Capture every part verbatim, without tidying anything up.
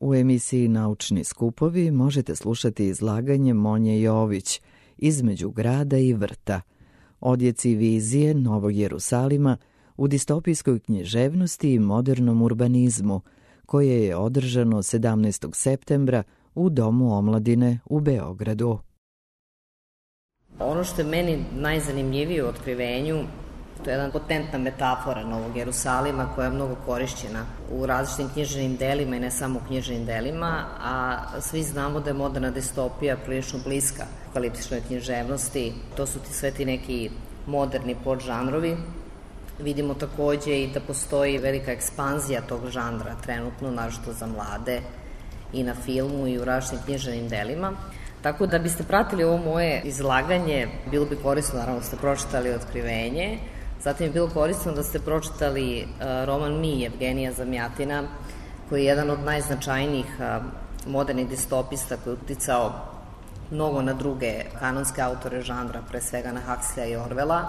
U emisiji Naučni skupovi možete slušati izlaganje Monje Jović Između grada i vrta, odjeci vizije Novog Jerusalima u distopijskoj književnosti i modernom urbanizmu, koje je održano sedamnaestog septembra u Domu omladine u Beogradu. Ono što je meni najzanimljivije u otkrivenju, to je jedna potentna metafora Novog Jerusalima koja je mnogo korišćena u različitim književnim delima i ne samo u književnim delima, a svi znamo da je moderna distopija prilično bliska apokaliptičnoj književnosti. To su ti sve ti neki moderni podžanrovi. Vidimo takođe i da postoji velika ekspanzija tog žanra trenutno, naročito za mlade, i na filmu i u različitim književnim delima. Tako da biste pratili ovo moje izlaganje, bilo bi korisno naravno da ste pročitali Otkrivenje, zatim je bilo korisno da ste pročitali uh, roman Mi Jevgenija Zamjatina, koji je jedan od najznačajnijih uh, modernih distopista koji je uticao mnogo na druge kanonske autore žanra, pre svega na Huxleya i Orwella.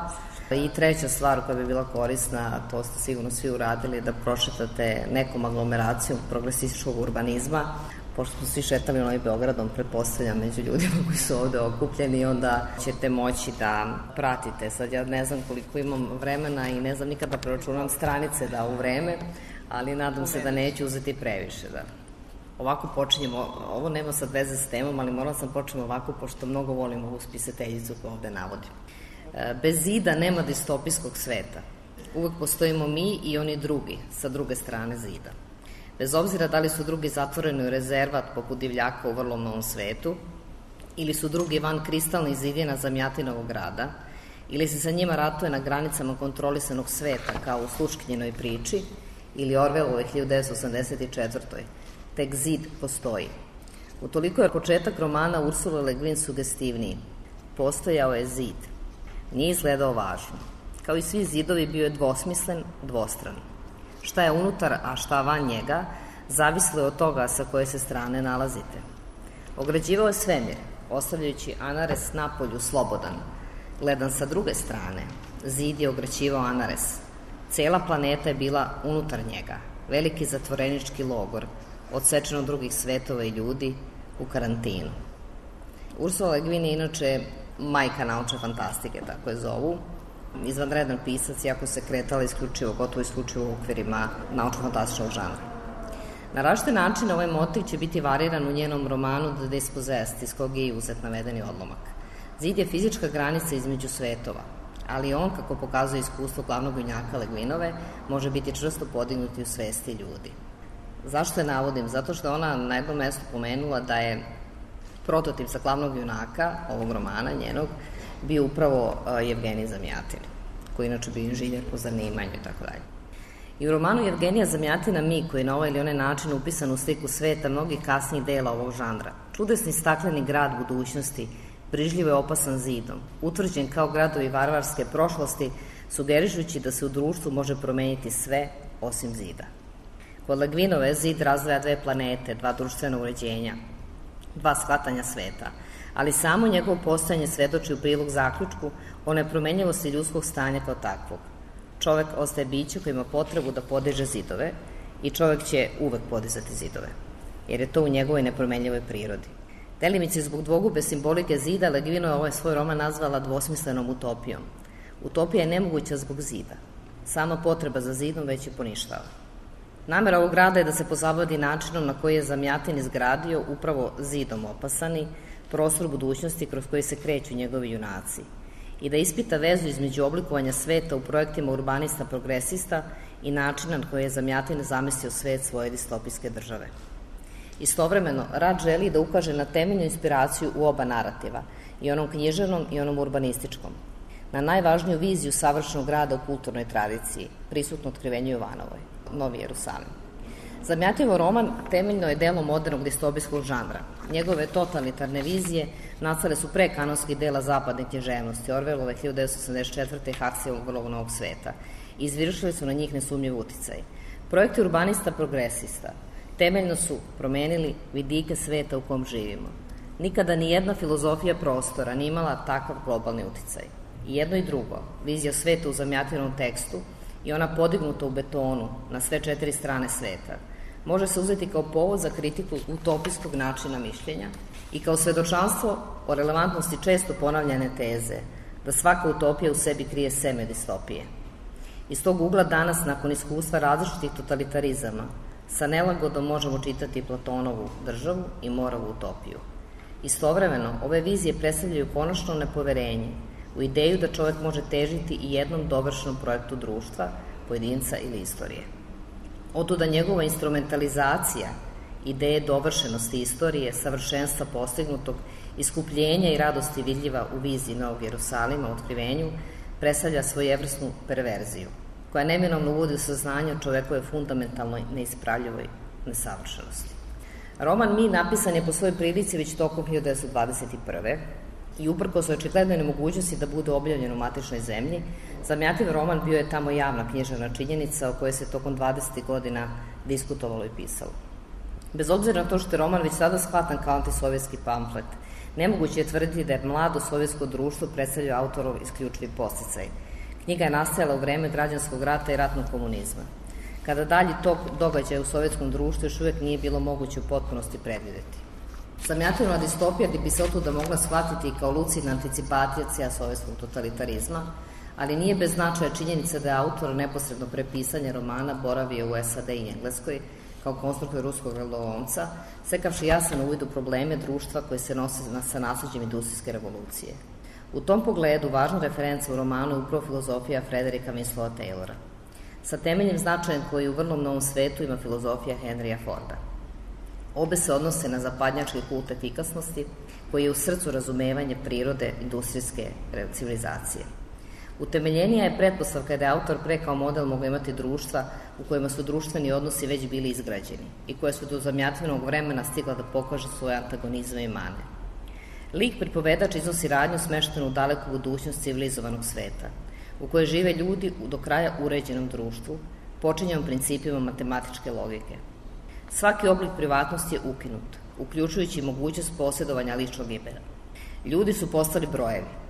I treća stvar koja bi bila korisna, to ste sigurno svi uradili, da pročitate nekom aglomeracijom progresističkog urbanizma, pošto smo svi šetali Novim Beogradom, pretpostavljam, među ljudima koji su ovde okupljeni, onda ćete moći da pratite. Sad ja ne znam koliko imam vremena i ne znam nikada da preračunam stranice da u vreme, ali nadam se da neću uzeti previše. Da. Ovako počinjemo, ovo nema sad veze s temom, ali morala sam početi ovako, pošto mnogo volim ovu spisateljicu koju ovde navodim. Bez zida nema distopijskog sveta. Uvek postojimo mi i oni drugi, sa druge strane zida. Bez obzira da li su drugi zatvoreni u rezervat poput divljaka u vrlo novom svetu, ili su drugi van kristalnih zidina Zamjatinovog grada, ili se sa njima ratuje na granicama kontrolisanog sveta kao u Sluškinjenoj priči, ili Orwellovoj hiljadu devetsto osamdeset četvrtoj Tek zid postoji. Utoliko je početak romana Ursule Le Guin sugestivniji. Postojao je zid. Nije izgledao važno. Kao i svi zidovi bio je dvosmislen, dvostran. Šta je unutar, a šta van njega, zavislo je od toga sa koje se strane nalazite. Ograđivao je svemir, ostavljajući Anares napolju slobodan. Gledan sa druge strane, zid je ograđivao Anares. Cela planeta je bila unutar njega, veliki zatvorenički logor, odsečen od drugih svetova i ljudi, u karantinu. Ursula Le Guin je inače majka naučne fantastike, tako je zovu, izvanredan pisac, iako se kretala isključivo, gotovo isključivo u okvirima naučno-fantastičnog žanra. Na različite načine ovaj motiv će biti variran u njenom romanu The Dispossessed, iz kog je i uzet navedeni odlomak. Zid je fizička granica između svetova, ali on, kako pokazuje iskustvo glavnog junaka Le Guinove, može biti čvrsto podignuti u svesti ljudi. Zašto je navodim? Zato što ona na jednom mestu pomenula da je prototip za glavnog junaka ovog romana njenog bio upravo uh, Jevgenij Zamjatin, koji inače bio inženjer po zanimanju i tako dalje. I u romanu Jevgenija Zamjatina Mi, koji je na ovaj ili onaj način upisan u sliku sveta mnogih kasnijih dela ovog žanra, čudesni stakleni grad budućnosti, brižljivo je opasan zidom, utvrđen kao gradovi varvarske prošlosti, sugerišući da se u društvu može promeniti sve osim zida. Kod Le Guinove zid razdvaja dve planete, dva društvena uređenja, dva shvatanja sveta, ali samo njegovo postojanje svedoči u prilog zaključku o nepromenjivosti ljudskog stanja kao takvog. Čovek ostaje biće koji ima potrebu da podiže zidove i čovek će uvek podizati zidove, jer je to u njegovoj nepromenjivoj prirodi. Delimice zbog dvogube simbolike zida, Le Guin je ovaj svoj roman nazvala dvosmislenom utopijom. Utopija je nemoguća zbog zida. Sama potreba za zidom već je poništava. Namera ovog grada je da se pozabaviti načinom na koji je Zamjatin izgradio upravo zidom opasani prostor budućnosti kroz koji se kreću njegovi junaci i da ispita vezu između oblikovanja sveta u projektima urbanista progresista i načina na koji je Zamjatin zamislio svet svoje distopijske države. Istovremeno, rad želi da ukaže na temeljnu inspiraciju u oba narativa, i onom književnom i onom urbanističkom, na najvažniju viziju savršenog grada u kulturnoj tradiciji, prisutno Otkrivenju Jovanovoj, Novi Jerusalim. Zamjatinovo roman temeljno je delo modernog distopijskog žanra. Njegove totalitarne vizije nastale su pre kanonskih dela zapadne književnosti, Orwellove hiljadu devetsto osamdeset četvrte i Huxleyovog Vrlog novog sveta. Izvršili su na njih nesumnjiv uticaj. Projekti urbanista progresista temeljno su promenili vidike sveta u kom živimo. Nikada ni jedna filozofija prostora nije imala takav globalni uticaj. I jedno i drugo, vizija sveta u Zamjatinovom tekstu i ona podignuta u betonu na sve četiri strane sveta, može se uzeti kao povod za kritiku utopijskog načina mišljenja i kao svedočanstvo o relevantnosti često ponavljane teze da svaka utopija u sebi krije seme distopije. Iz tog ugla danas, nakon iskustva različitih totalitarizama, sa nelagodom možemo čitati Platonovu državu i Morovu utopiju. Istovremeno, ove vizije predstavljaju konačno nepoverenje u ideju da čovek može težiti i jednom dovršenom projektu društva, pojedinca ili istorije. Otuda njegova instrumentalizacija ideje dovršenosti istorije, savršenstva postignutog, iskupljenja i radosti vidljiva u viziji Novog Jerusalima, otkrivenju, predstavlja svojevrsnu perverziju, koja neminovno uvodi u saznanje o čovekove fundamentalnoj neispravljivoj nesavršenosti. Roman Mi napisan je po svojoj prilici već tokom hiljadu devetsto dvadeset prve. i uprkos očiglednoj nemogućnosti da bude objavljen u matičnoj zemlji, Zamjativ roman bio je tamo javna književna činjenica o kojoj se tokom dvadesetih godina diskutovalo i pisalo. Bez obzira na to što je roman već sada shvatan kao antisovjetski pamflet, nemoguće je tvrditi da je mlado sovjetsko društvo predstavljao autorov isključivi podsticaj. Knjiga je nastajala u vreme građanskog rata i ratnog komunizma, kada dalji tok događaja u sovjetskom društvu još uvijek nije bilo moguće u potpunosti predvideti. Zamjativna distopija bi se otuda mogla shvatiti kao lucidna anticipacija sovjetskog totalitarizma, ali nije bez značaja činjenica da je autor neposredno pre pisanja romana boravio u S A D i Engleskoj kao konstruktor ruskog radolomca, sekavši jasan uvid u probleme društva koje se nose sa nasleđem industrijske revolucije. U tom pogledu važna referenca u romanu je upravo filozofija Frederika Winslova Taylora, sa temeljem značajem koji u vrlo mnogom svetu ima filozofija Henrya Forda. Obe se odnose na zapadnjački kult efikasnosti, koji je u srcu razumevanje prirode industrijske civilizacije. Utemeljenija je pretpostavka da je autor pre kao model mogao imati društva u kojima su društveni odnosi već bili izgrađeni i koje su do zamjatvenog vremena stigla da pokaže svoje antagonizme i mane. Lik pripovedač iznosi radnju smeštenu u daleku budućnost civilizovanog sveta, u kojoj žive ljudi u do kraja uređenom društvu, počinjenom principima matematičke logike. Svaki oblik privatnosti je ukinut, uključujući mogućnost posjedovanja ličnog imena. Ljudi su postali brojevi.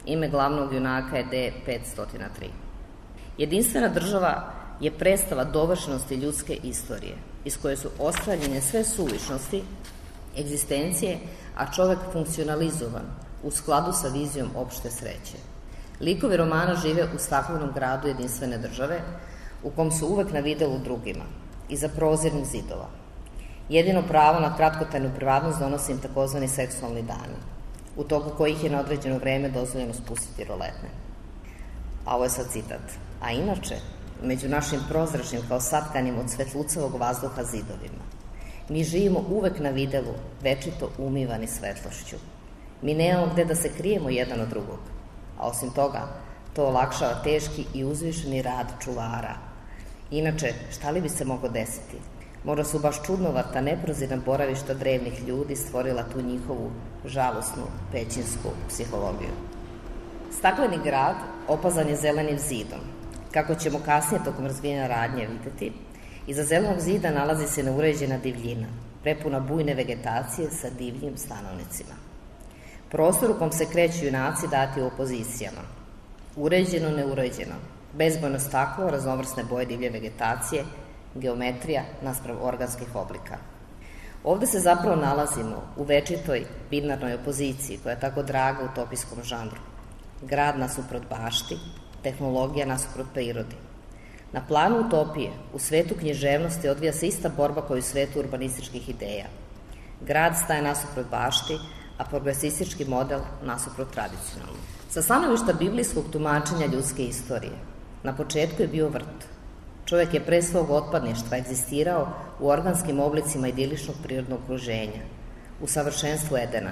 Ime glavnog junaka je D petsto tri. Jedinstvena država je predstava dovršenosti ljudske istorije, iz koje su ostranjene sve suvišnosti egzistencije, a čovek funkcionalizovan u skladu sa vizijom opšte sreće. Likovi romana žive u staklenom gradu jedinstvene države, u kom su uvek na videlu drugima, iza prozirnih zidova. Jedino pravo na kratkotrajnu privatnost donosi im takozvani seksualni dani, u toku kojih je na određeno vreme dozvoljeno spustiti roletne. A ovo je sad citat. A inače, među našim prozračnim kao satkanim od svetlucavog vazduha zidovima, mi živimo uvek na videlu, večito umivani svetlošću. Mi nemamo gde da se krijemo jedan od drugog, a osim toga, to olakšava teški i uzvišeni rad čuvara. Inače, šta li bi se moglo desiti? Možda su baš čudnovata, neprozirna boravišta drevnih ljudi stvorila tu njihovu žalosnu pećinsku psihologiju. Stakleni grad opazan je zelenim zidom. Kako ćemo kasnije tokom razvijanja radnje videti, iza zelenog zida nalazi se neuređena divljina, prepuna bujne vegetacije sa divljim stanovnicima. Prostor u kom se kreću junaci dati u opozicijama. Uređeno, neuređeno, bezbojno staklo, raznovrsne boje divlje vegetacije, geometrija nasprav organskih oblika. Ovde se zapravo nalazimo u večitoj binarnoj opoziciji koja je tako draga utopijskom žanru. Grad nasuprot bašti, tehnologija nasuprot prirodi. Na planu utopije, u svetu književnosti odvija se ista borba kao i u svetu urbanističkih ideja. Grad staje nasuprot bašti, a progresistički model nasuprot tradicionalno. Sa stanovišta biblijskog tumačenja ljudske istorije, na početku je bio vrt. Čovjek je pre svog otpadništva egzistirao u organskim oblicima idiličnog prirodnog okruženja, u savršenstvu Edena,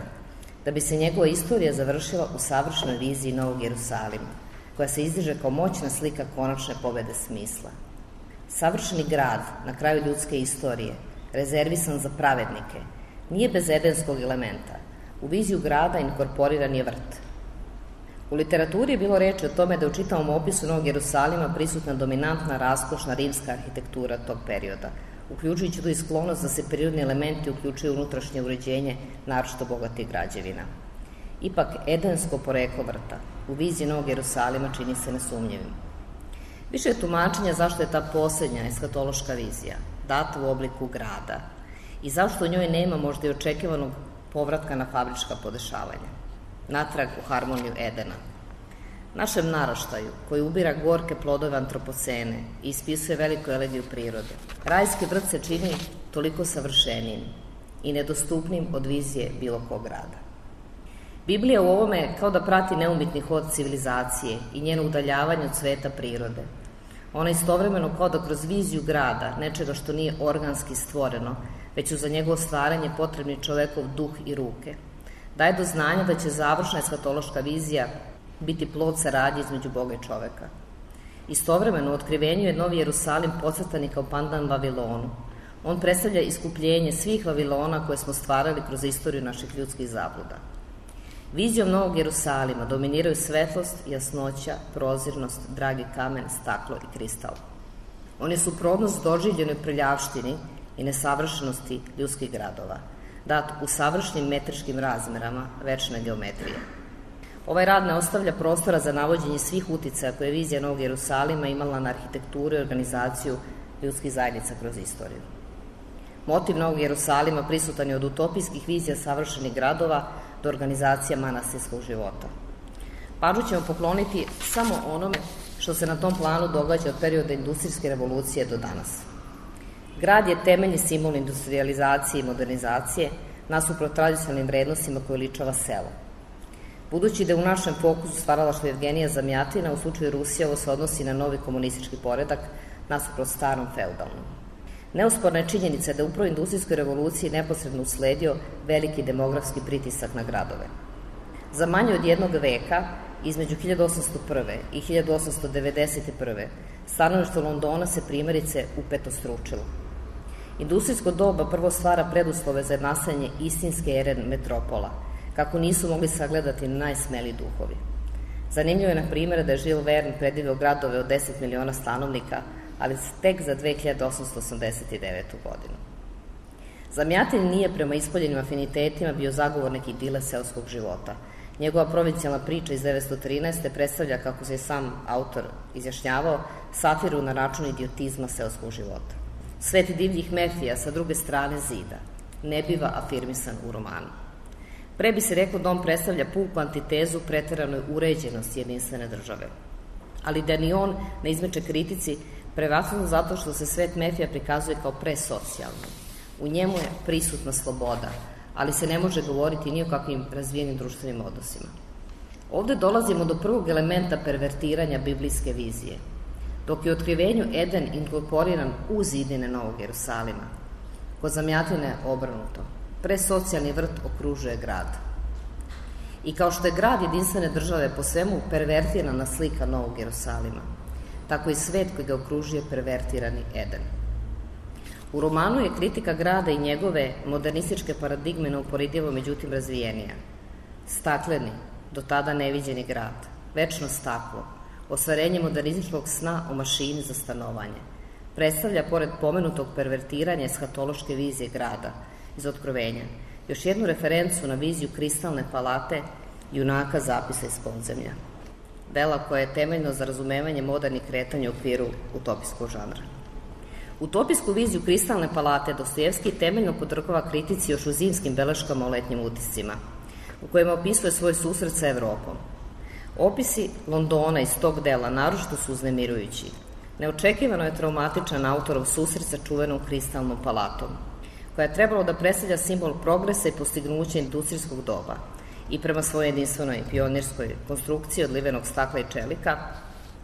da bi se njegova istorija završila u savršenoj viziji Novog Jerusalima, koja se izdiže kao moćna slika konačne pobede smisla. Savršeni grad na kraju ljudske istorije, rezervisan za pravednike, nije bez edenskog elementa. U viziju grada inkorporiran je vrt. U literaturi je bilo reči o tome da je u čitavom opisu Novog Jerusalima prisutna dominantna, raskošna rimska arhitektura tog perioda, uključujući tu i sklonost da se prirodni elementi uključuju u unutrašnje uređenje naročito bogatih građevina. Ipak, edensko poreklo vrta u viziji Novog Jerusalima čini se nesumnjivim. Više je tumačenja zašto je ta poslednja eskatološka vizija, data u obliku grada i zašto u njoj nema možda i očekivanog povratka na fabrička podešavanja, natrag u harmoniju Edena. Našem naraštaju, koji ubira gorke plodove antropocene i ispisuje veliku elegiju prirode, rajski vrt se čini toliko savršenijim i nedostupnim od vizije bilo kog grada. Biblija u ovome kao da prati neumitni hod civilizacije i njeno udaljavanje od sveta prirode. Ona istovremeno kao da kroz viziju grada, nečega što nije organski stvoreno, već su za njegovo stvaranje potrebni čovekov duh i ruke, daje do znanja da će završna eskatološka vizija biti plod saradnje između Boga i čoveka. Istovremeno u otkrivenju je Novi Jerusalim podcrtan kao pandan Vavilonu. On predstavlja iskupljenje svih Vavilona koje smo stvarali kroz istoriju naših ljudskih zabluda. Vizijom Novog Jerusalima dominiraju svetlost, jasnoća, prozirnost, dragi kamen, staklo i kristal. On je suprotnost doživljenoj prljavštini i nesavršenosti ljudskih gradova, dat u savršenim metričkim razmerama večne geometrije. Ovaj rad ne ostavlja prostora za navođenje svih uticaja koje je vizija Novog Jerusalima imala na arhitekturu i organizaciju ljudskih zajednica kroz istoriju. Motiv Novog Jerusalima prisutan je od utopijskih vizija savršenih gradova do organizacija manastirskog života. Pažnju ćemo pokloniti samo onome što se na tom planu događa od perioda industrijske revolucije do danas. Grad je temeljni simbol industrializacije i modernizacije nasuprot tradicionalnim vrednostima koje ličava selo. Budući da je u našem fokusu stvaralaštvo Evgenija Zamjatina, u slučaju Rusije ovo se odnosi na novi komunistički poredak nasuprot starom feudalnom. Neosporna je činjenica da je upravo industrijskoj revoluciji neposredno usledio veliki demografski pritisak na gradove. Za manje od jednog veka, između hiljadu osamsto prve i hiljadu osamsto devedeset prve stanovništvo Londona se primjerice upetostručilo. Industrijsko doba prvo stvara preduslove za nastajanje istinske ere metropola, kako nisu mogli sagledati najsmeliji duhovi. Zanimljivo je, na primjer, da je Jules Verne predvideo gradove od deset miliona stanovnika, ali tek za dve hiljade osamsto osamdeset devetu. godinu. Zamjatin nije prema ispoljenim afinitetima bio zagovornik idile seoskog života. Njegova provincijalna priča iz devetsto trinaeste. predstavlja, kako se sam autor izjašnjavao, satiru na račun idiotizma seoskog života. Svet divljih mefija sa druge strane zida ne biva afirmisan u romanu. Pre bi se reklo da on predstavlja puku antitezu preteranoj uređenosti jedinstvene države. Ali da ni on ne izmeče kritici, prevashodno zato što se svet mefija prikazuje kao presocijalno. U njemu je prisutna sloboda, ali se ne može govoriti ni o kakvim razvijenim društvenim odnosima. Ovde dolazimo do prvog elementa pervertiranja biblijske vizije. Dok je u otkrivenju Eden inkorporiran u zidine Novog Jerusalima, kod Zamjatine obrnuto. Presocijalni vrt okružuje grad. I kao što je grad jedinstvene države po svemu pervertirana slika Novog Jerusalima, tako i svet koji ga okružuje pervertirani Eden. U romanu je kritika grada i njegove modernističke paradigme neuporedivo međutim razvijenija. Stakleni, do tada neviđeni grad, večno staklo, ostvarenje modernističkog sna o mašini za stanovanje, predstavlja, pored pomenutog pervertiranja eshatološke vizije grada iz Otkrovenja, još jednu referencu na viziju kristalne palate junaka zapisa iz podzemlja. Dela koja je temeljno za razumevanje modernih kretanja u okviru utopijskog žanra. Utopijsku viziju kristalne palate Dostojevski temeljno podvrgava kritici još u zimskim beleškama o letnjim utiscima, u kojima opisuje svoj susret sa Evropom. Opisi Londona iz tog dela naročito su uznemirujući. Neočekivano je traumatičan autorov susret sa čuvenom kristalnom palatom, koja je trebalo da predstavlja simbol progresa i postignuća industrijskog doba i prema svojoj jedinstvenoj pionirskoj konstrukciji od livenog stakla i čelika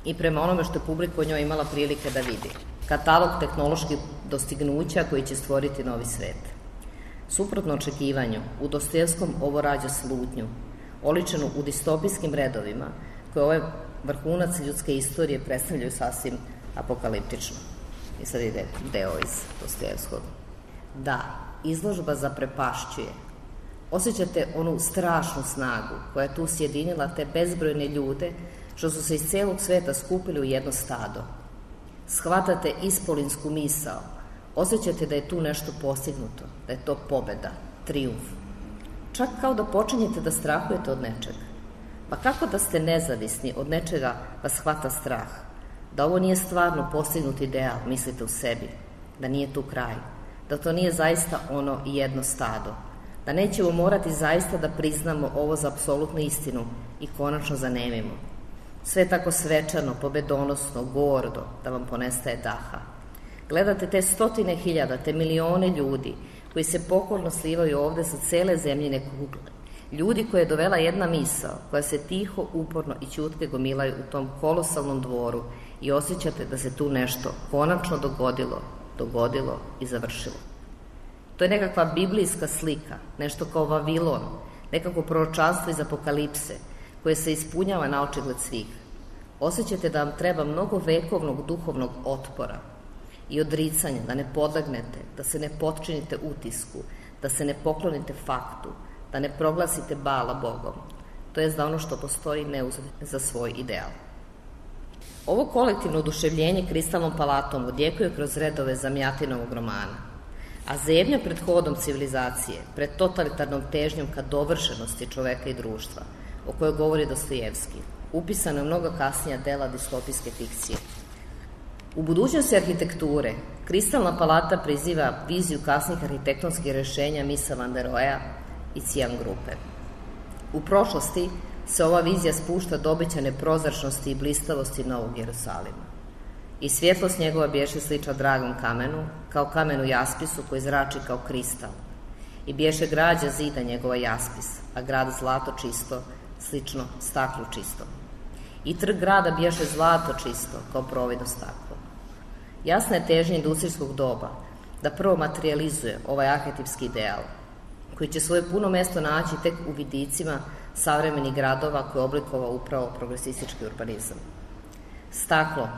i prema onome što je publika o njoj imala prilike da vidi. Katalog tehnoloških dostignuća koji će stvoriti novi svet. Suprotno očekivanju, u Dostojevskom ovo rađa slutnju, oličenu u distopijskim redovima, koje ovaj vrhunac ljudske istorije predstavljaju sasvim apokaliptično. I sad ide deo iz Dostojevskog. Da, izložba zaprepašćuje. Osjećate onu strašnu snagu koja je tu sjedinila te bezbrojne ljude što su se iz celog sveta skupili u jedno stado. Shvatate ispolinsku misao, osjećate da je tu nešto postignuto, da je to pobeda, trijumf. Čak kao da počinjete da strahujete od nečega. Pa kako da ste nezavisni od nečega vas hvata strah? Da ovo nije stvarno postignut ideal, mislite u sebi. da nije tu kraj, da to nije zaista ono jedno stado, da nećemo morati zaista da priznamo ovo za apsolutnu istinu i konačno zanemimo. Sve je tako svečano, pobedonosno, gordo, da vam ponestaje daha. Gledate te stotine hiljada, te milione ljudi koji se pokorno slivaju ovde sa cele zemljine kugle. Ljudi koje je dovela jedna misao, koja se tiho, uporno i ćutke gomilaju u tom kolosalnom dvoru i osjećate da se tu nešto konačno dogodilo, dogodilo i završilo. To je nekakva biblijska slika, nešto kao Vavilon, nekako proročanstvo iz Apokalipse, koje se ispunjava na očigled svih. Osjećate da vam treba mnogo vekovnog duhovnog otpora i odricanja, da ne podlegnete, da se ne potčinite utisku, da se ne poklonite faktu, da ne proglasite Bala Bogom, to jest da ono što postoji ne uzme za svoj ideal. Ovo kolektivno oduševljenje kristalnom palatom odjekuje kroz redove Zamjatinovog romana, a zebnja pred hodom civilizacije, pred totalitarnom težnjom ka dovršenosti čoveka i društva, o kojoj govori Dostojevski, upisano je mnogo kasnija dela distopijske fikcije. U budućnosti arhitekture, kristalna palata priziva viziju kasnih arhitektonskih rešenja Misa van der Roheja i Cijan grupe. U prošlosti se ova vizija spušta do obećane prozračnosti i blistavosti Novog Jerusalima. I svjetlost njegova bješe sliča dragom kamenu, kao kamenu jaspisu koji zrači kao kristal. I bješe građa zida njegova jaspis, a grad zlato čisto, slično staklu čisto. I trg grada bješe zlato čisto, kao providno staklo. Jasna je težnja industrijskog doba da prvo materializuje ovaj arhetipski ideal, koji će svoje puno mesto naći tek u vidicima savremenih gradova koje je oblikovao upravo progresistički urbanizam. Staklo,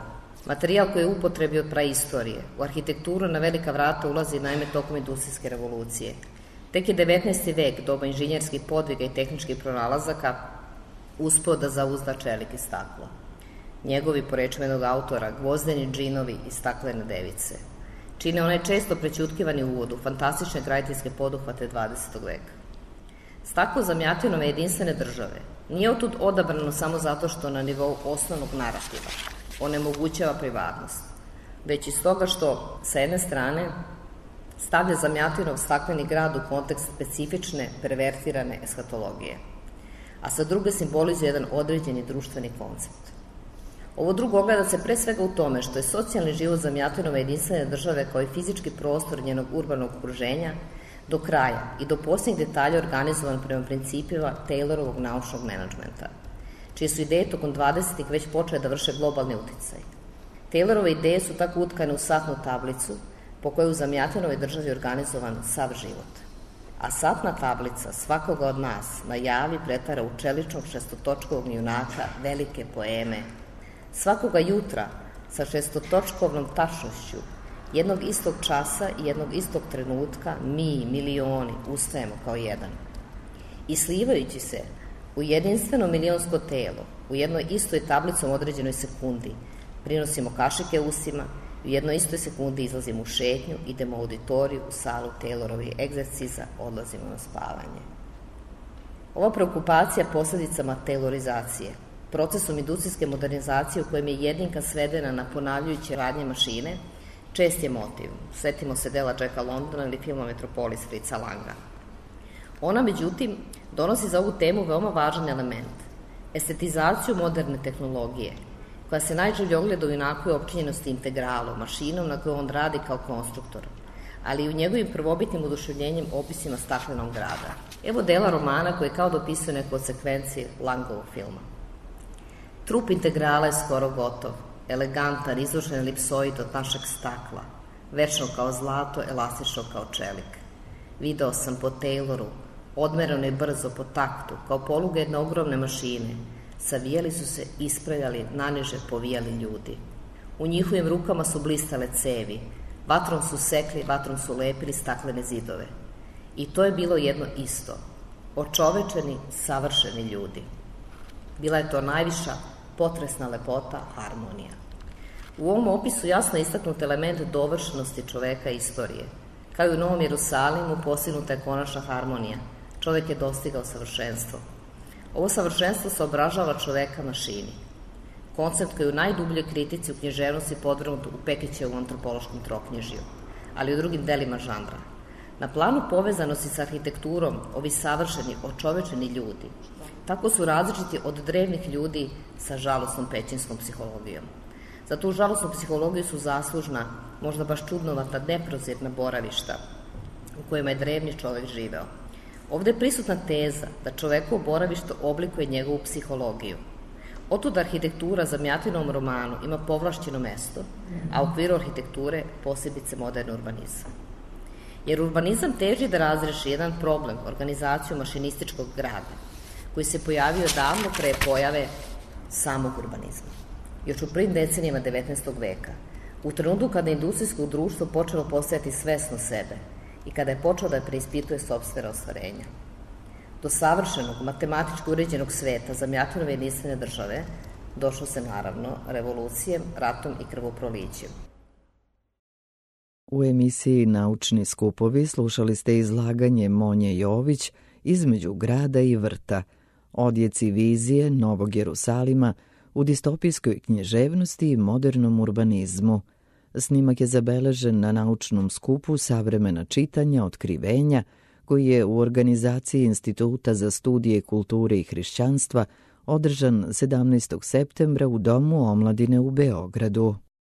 materijal koji je u upotrebi od praistorije, u arhitekturu na velika vrata ulazi naime tokom industrijske revolucije. Tek je devetnaesti vek, doba inženjerskih podviga i tehničkih pronalazaka, uspeo da zauzda čelik i staklo. Njegovi, po rečima jednog autora, gvozdeni džinovi i staklene device čine onaj često prećutkivani uvod u fantastične graditeljske poduhvate dvadesetog veka. Staklo Zamjatinove jedinstvene države nije otud odabrano samo zato što na nivou osnovnog narativa onemogućava privatnost, već i stoga što, sa jedne strane, stavlja Zamjatinov stakleni grad u kontekst specifične, pervertirane eshatologije, a sa druge simbolizuje jedan određeni društveni koncept. Ovo drugo ogleda se pre svega u tome što je socijalni život Zamjatinove jedinstvene države kao i fizički prostor njenog urbanog okruženja do kraja i do posljednjih detalja organizovan prema principima Taylorovog naučnog menadžmenta, čije su ideje tokom dvadesetih već počele da vrše globalni uticaj. Taylorove ideje su tako utkane u satnu tablicu po kojoj u Zamjatinove državi organizovan sav život. A satna tablica svakoga od nas na javi pretvara u čeličnog šestotočkovog junaka velike poeme. Svakoga jutra sa šestotočkovnom tačnošću jednog istog časa i jednog istog trenutka mi, milioni, ustajemo kao jedan. I slivajući se u jedinstveno milionsko telo, u jednoj istoj tablicom određenoj sekundi, prinosimo kašike usima i u jednoj istoj sekundi izlazimo u šetnju, idemo u auditoriju, u salu Taylorovih egzerciza, odlazimo na spavanje. Ova preokupacija posledicama taylorizacije, procesom industrijske modernizacije u kojem je jedinka svedena na ponavljajuće radnje mašine, čest je motiv. Setimo se dela Jacka Londona ili filma Metropolis Fritza Langa. Ona, međutim, donosi za ovu temu veoma važan element, estetizaciju moderne tehnologije, koja se najživlje ogleda u inakoj opčinjenosti integralom, mašinom na kojoj on radi kao konstruktor, ali i u njegovim prvobitnim oduševljenjem opisima staklenog grada. Evo dela romana koji kao dopisuje neku od sekvenciji Langovog filma. Trup integrala je skoro gotov, elegantan, izložen elipsoid od našeg stakla, večno kao zlato, elastično kao čelik. Video sam po Tayloru, odmerano i brzo po taktu, kao poluga jedne ogromne mašine, savijali su se, ispravljali, naniže povijali ljudi. U njihovim rukama su blistale cevi, vatrom su sekli, vatrom su lepili staklene zidove. I to je bilo jedno isto, očovečeni, savršeni ljudi. Bila je to najviša, potresna lepota, harmonija. U ovom opisu jasno istaknut element dovršenosti čoveka i istorije. Kao i u Novom Jerusalimu postignuta je konačna harmonija. Čovek je dostigao savršenstvo. Ovo savršenstvo se obražava čoveka mašini. Koncept koji je u najdubljoj kritici u književnosti podvrgnut u Pekićevom antropološkom troknjižju. ali i u drugim delima žanra. Na planu povezanosti sa arhitekturom, ovi savršeni, očovečeni ljudi, tako su različiti od drevnih ljudi sa žalosnom pećinskom psihologijom. Za tu žalosnu psihologiju su zaslužna, možda baš čudnovata, neprozirna boravišta u kojima je drevni čovek živeo. Ovde je prisutna teza da čovekovo boravište oblikuje njegovu psihologiju. Otud arhitektura za Mijatinovom romanu ima povlašćeno mesto, a u okviru arhitekture posebice moderni urbanizam. Jer urbanizam teži da razreši jedan problem, organizaciju mašinističkog grada, koji se pojavio davno pre pojave samog urbanizma. Još u prvim decenijama devetnaestog veka, u trenutku kada je industrijsko društvo počelo postajati svesno sebe i kada je počelo da preispituje sopstvena ostvarenja. Do savršenog, matematički uređenog sveta za Mijatinove jedinstvene države došlo se naravno revolucijem, ratom i krvoprolićem. U emisiji Naučni skupovi slušali ste izlaganje Monje Jović Između grada i vrta, odjeci vizije Novog Jerusalima u distopijskoj književnosti i modernom urbanizmu. Snimak je zabeležen na naučnom skupu Savremena čitanja, otkrivenja, koji je u organizaciji Instituta za studije kulture i hrišćanstva održan sedamnaestog septembra u Domu omladine u Beogradu.